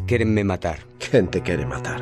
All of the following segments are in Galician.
Quérenme matar. Quen te quere matar?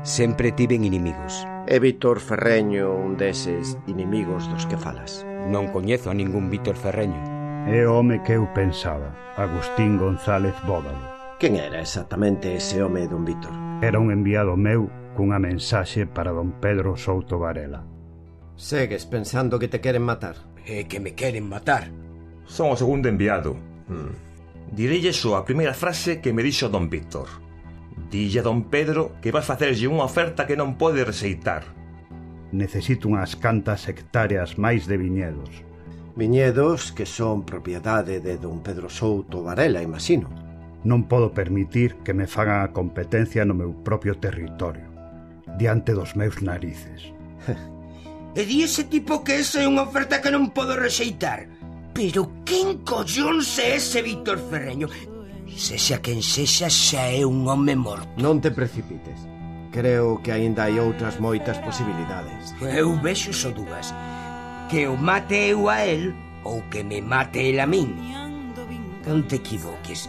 Sempre tiven inimigos. É Víctor Ferreño un deses inimigos dos que falas? Non coñezo a ningún Víctor Ferreño. É o home que eu pensaba, Agustín González Bódalo. Quen era exactamente ese home, don Víctor? Era un enviado meu cunha mensaxe para don Pedro Souto Varela. Segues pensando que te queren matar? É que me queren matar. Son o segundo enviado. Direlle só a primeira frase que me dixo don Víctor. Dille a don Pedro que vas facerlle unha oferta que non pode rexeitar. Necesito unhas cantas hectáreas máis de viñedos. Viñedos que son propiedade de don Pedro Souto Varela, imagino. Non podo permitir que me fagan a competencia no meu propio territorio, diante dos meus narices. E di ese tipo que esa é unha oferta que non podo rexeitar. Pero quen collóns é ese Víctor Ferreño? Sexa quen sexa, xa é un home morto. Non te precipites. Creo que aínda hai outras moitas posibilidades. Eu vexo só dúas. Que o mate eu a él ou que me mate el a min. Non te equivoques.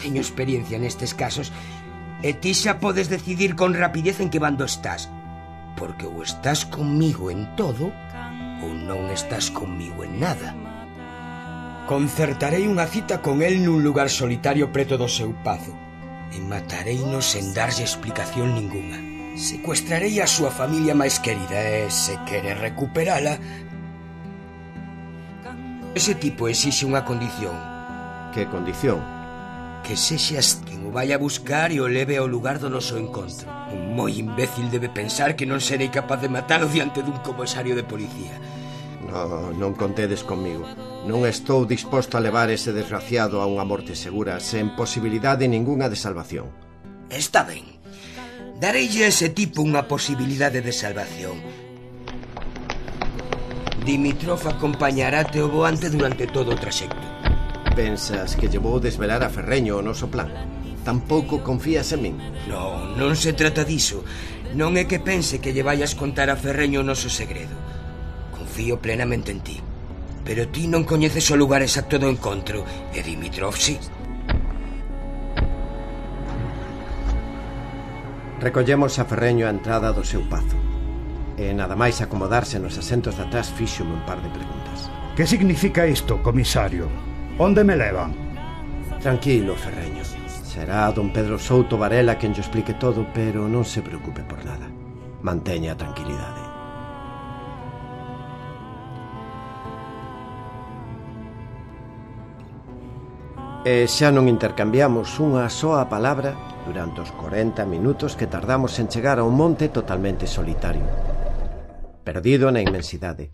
Teño experiencia nestes casos e ti xa podes decidir con rapidez en que bando estás. Porque ou estás conmigo en todo ou non estás conmigo en nada. Concertarei unha cita con el nun lugar solitario preto do seu pazo e matareino sen darlle explicación ninguna. Secuestrarei a súa familia máis querida e, se quere recuperala, ese tipo exixe unha condición. Que condición? Que sexas quen o vai a buscar e o leve ao lugar do noso encontro. Un moi imbécil debe pensar que non serei capaz de matalo diante dun comisario de policía. Non contedes comigo. Non estou disposto a levar ese desgraciado a unha morte segura sen posibilidade ningunha de salvación. Está ben. Dareille a ese tipo unha posibilidade de salvación. Dimitrov acompañaráte o voante durante todo o traxecto. Pensas que lle vou desvelar a Ferreño o noso plan? Tampouco confías en min? Non se trata diso. Non é que pense que lle vayas contar a Ferreño o noso segredo. Confío plenamente en ti. Pero ti non coñeces o lugar exacto do encontro, e Dimitrov sí. Recollemos a Ferreño a entrada do seu pazo. E nada máis acomodarse nos asentos de atrás fíxome un par de preguntas. Que significa isto, comisario? Onde me levan? Tranquilo, Ferreño. Será don Pedro Souto Varela quen lle explique todo, pero non se preocupe por nada. Manteña a tranquilidade. E xa non intercambiamos unha soa palabra durante os 40 minutos que tardamos en chegar a un monte totalmente solitario, perdido na inmensidade,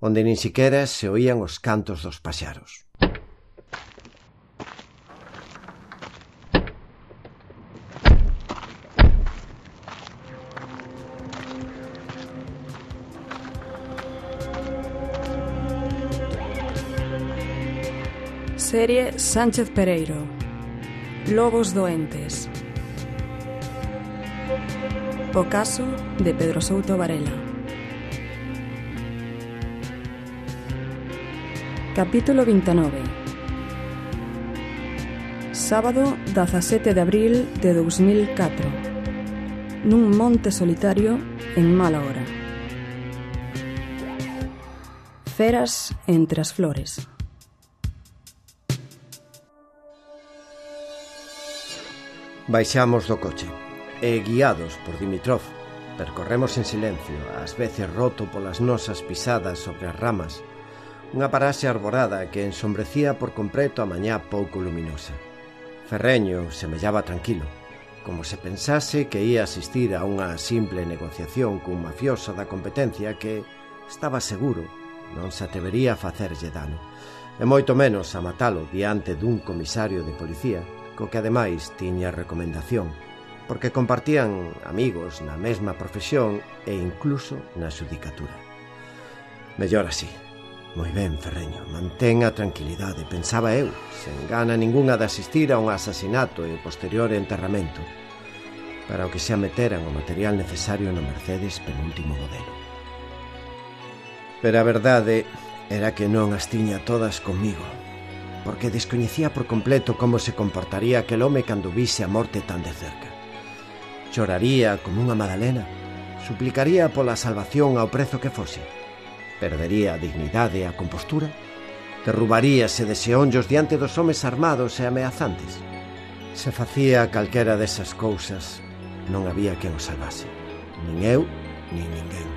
onde nin siquera se oían os cantos dos paxaros. Serie Sánchez Pereiro. Lobos doentes. O caso de Pedro Souto Varela. Capítulo 29. Sábado 17 de abril de 2004. Nun monte solitario en mala hora. Feras entre as flores. Baixamos do coche e, guiados por Dimitrov, percorremos en silencio, ás veces roto polas nosas pisadas sobre as ramas, unha paraxe arborada que ensombrecía por completo a mañá pouco luminosa. Ferreño semellaba tranquilo, como se pensase que ia asistir a unha simple negociación cun mafioso da competencia que, estaba seguro, non se atrevería a facerlle dano, e moito menos a matalo diante dun comisario de policía, co que ademais tiña recomendación, porque compartían amigos na mesma profesión e incluso na xudicatura. Mellor así. Moi ben, Ferreño, mantén a tranquilidade, pensaba eu, sen gana ningunha de asistir a un asasinato e posterior enterramento, para o que xa meteran o material necesario no Mercedes penúltimo modelo. Pero a verdade era que non as tiña todas comigo. porque descoñecía por completo como se comportaría aquel home cando vise a morte tan de cerca. Choraría como unha Madalena, suplicaría pola salvación ao prezo que fose, perdería a dignidade e a compostura, derrubaríase de xeonllos diante dos homes armados e ameazantes. Se facía calquera desas cousas, non había quen o salvase, nin eu, nin ninguén.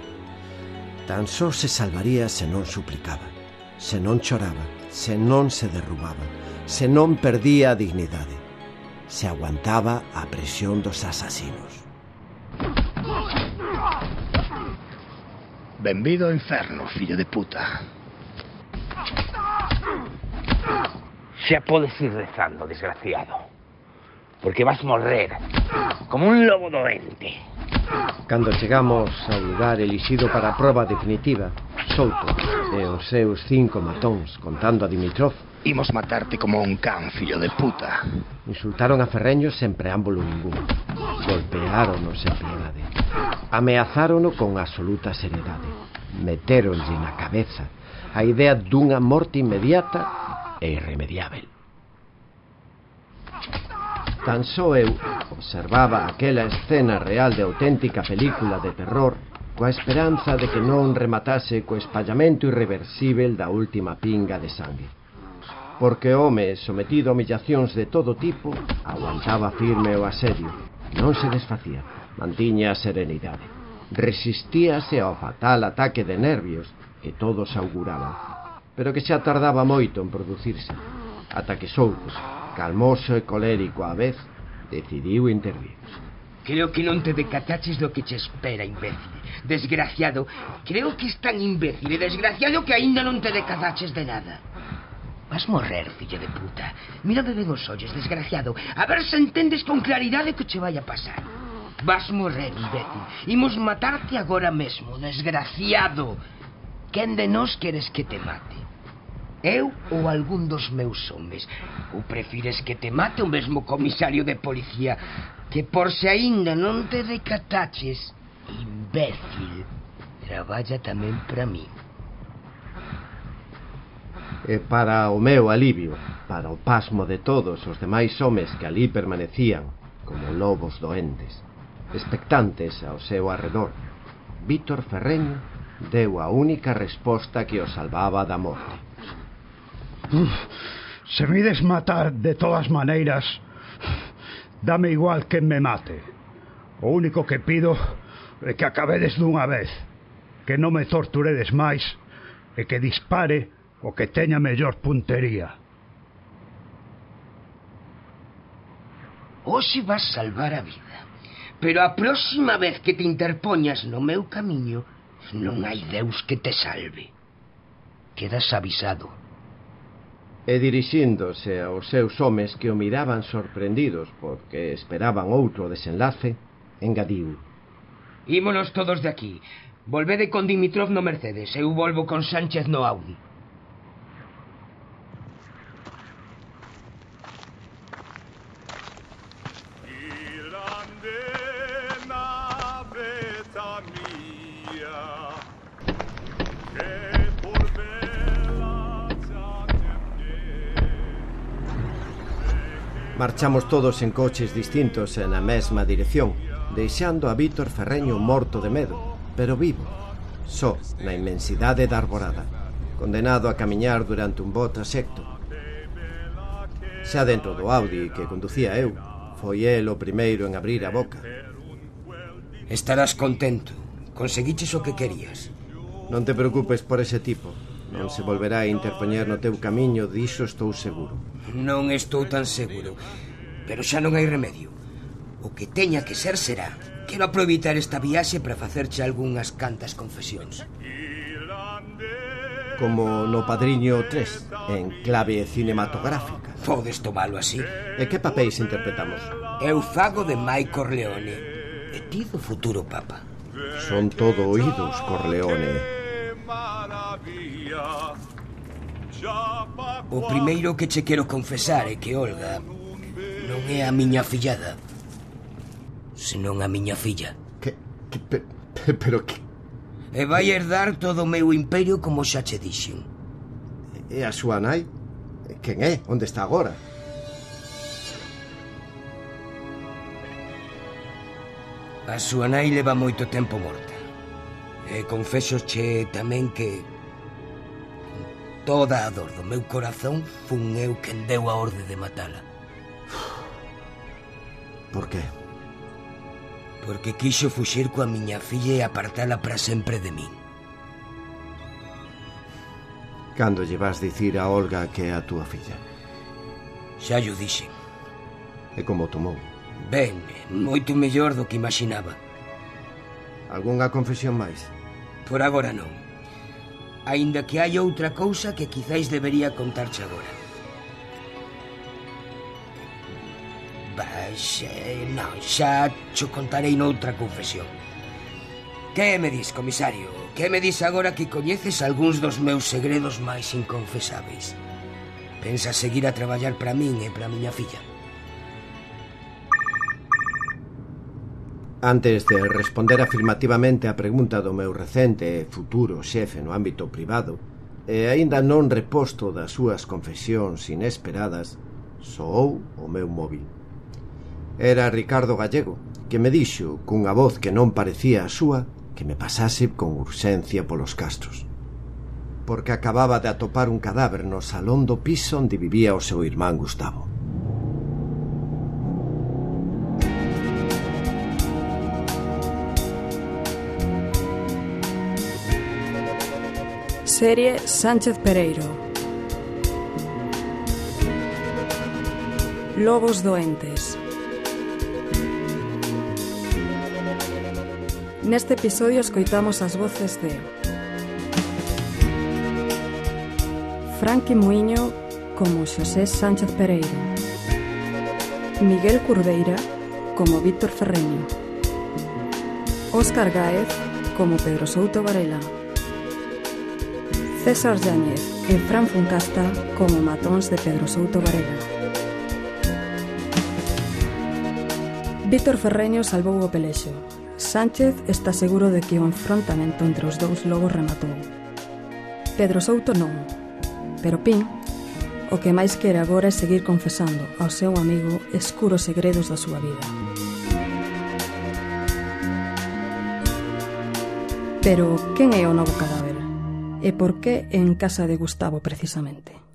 Tan só se salvaría se non suplicaba, se non choraba, se non se derrubaba, se non perdía a dignidade, se aguantaba a presión dos asasinos. Benvido ao inferno, fillo de puta. Xa podes ir rezando, desgraciado, porque vas morrer como un lobo doente. Cando chegamos ao lugar elixido para a proba definitiva, Souto e os seus 5 matóns, contando a Dimitrov, Imos matarte como un can, fillo de puta. insultaron a Ferreño sen preámbulo ningún. Golpeárono sen piedade. Ameazárono con absoluta seriedade. Metéronlle na cabeza a idea dunha morte inmediata e irremediável. Tan só eu observaba aquela escena real de auténtica película de terror coa esperanza de que non rematase co espallamento irreversible da última pinga de sangue. Porque o home, sometido a humillacións de todo tipo, aguantaba firme o asedio, non se desfacía, mantiña a serenidade, resistíase ao fatal ataque de nervios que todos auguraban, pero que xa tardaba moito en producirse, ata que Souto, calmoso e colérico á vez, decidiu intervir. Creo que non te decataches do que che espera, imbécil. Desgraciado, creo que es tan imbécil e desgraciado que aínda non te decataches de nada. Vas morrer, fillo de puta. Mírame ben os ollos, desgraciado. A ver se entendes con claridade que che vai a pasar. Vas morrer, imbécil. Imos matarte agora mesmo, desgraciado. Quen de nós queres que te mate? Eu ou algún dos meus homes? Ou prefires que te mate o mesmo comisario de policía, que por se aínda non te decataches, imbécil, traballa tamén para mí. E para o meu alivio, para o pasmo de todos os demais homes que ali permanecían como lobos doentes, expectantes ao seu arredor, Víctor Ferreño deu a única resposta que o salvaba da morte. Se me ides matar de todas maneiras, dame igual que me mate. O único que pido é que acabedes dunha vez, que non me torturedes máis e que dispare o que teña mellor puntería. Hoxe vas salvar a vida, pero a próxima vez que te interpoñas no meu camiño, non hai Deus que te salve. Quedas avisado. E dirixíndose aos seus homes que o miraban sorprendidos porque esperaban outro desenlace, engadiu: Ímonos todos de aquí. Volvede con Dimitrov no Mercedes, eu volvo con Sánchez no Audi. Marchamos todos en coches distintos e na mesma dirección, deixando a Víctor Ferreño morto de medo, pero vivo, só na inmensidade da arborada, condenado a camiñar durante un bo trasecto. Xa dentro do Audi que conducía eu, foi el o primeiro en abrir a boca. Estarás contento. Conseguiches o que querías. Non te preocupes por ese tipo. Non se volverá a interpoñer no teu camiño, diso estou seguro. Non estou tan seguro, pero xa non hai remedio. O que teña que ser será. Quero aproveitar esta viaxe para facerche algunhas cantas confesións. Como no Padriño 3, en clave cinematográfica. Podes tomalo así. E que papéis interpretamos? Eu fago de Mike Corleone e ti do futuro papa. Son todo oídos, Corleone. O primeiro que che quero confesar é que Olga non é a miña fillada, senón a miña filla. Pero que... E vai herdar todo o meu imperio como xa che dixen. E a súa nai? Quen é? Onde está agora? A súa nai leva moito tempo morta. E confésoche tamén que con toda a dor do meu corazón fun eu quen deu a orde de matala. Por qué? Porque quixo fuxir coa miña filla e apartala para sempre de min. Cando lle vas dicir a Olga que é a túa filla? Xa llo dixen. E como tomou? Ben, moito mellor do que imaginaba. Algunha confesión máis? Por agora non. Aínda que hai outra cousa que quizáis debería contarche agora. Non, xa cho contarei noutra confesión. Que me dis, comisario? Que me dis agora que coñeces algúns dos meus segredos máis inconfesáveis? Pensas seguir a traballar para min e para a miña filla? Antes de responder afirmativamente a pregunta do meu recente e futuro xefe no ámbito privado, e aínda non reposto das súas confesións inesperadas, soou o meu móvil. Era Ricardo Gallego, que me dixo, cunha voz que non parecía a súa, que me pasase con urxencia polos Castros, porque acababa de atopar un cadáver no salón do piso onde vivía o seu irmán Gustavo. Serie Sánchez Pereiro. Lobos doentes. Neste episodio escoitamos as voces de Franqui Muiño como Xosé Sánchez Pereiro, Miguel Curveira como Víctor Ferreño, Óscar Gáez como Pedro Souto Varela, César Yáñez e Fran Funcasta como matóns de Pedro Souto Varela. Víctor Ferreño salvou o pelexo. Sánchez está seguro de que o enfrontamento entre os dous lobos rematou. Pedro Souto non, pero Pin o que máis quere agora é seguir confesando ao seu amigo escuros segredos da súa vida. Pero quen é o novo cadáver? E por que en casa de Gustavo precisamente?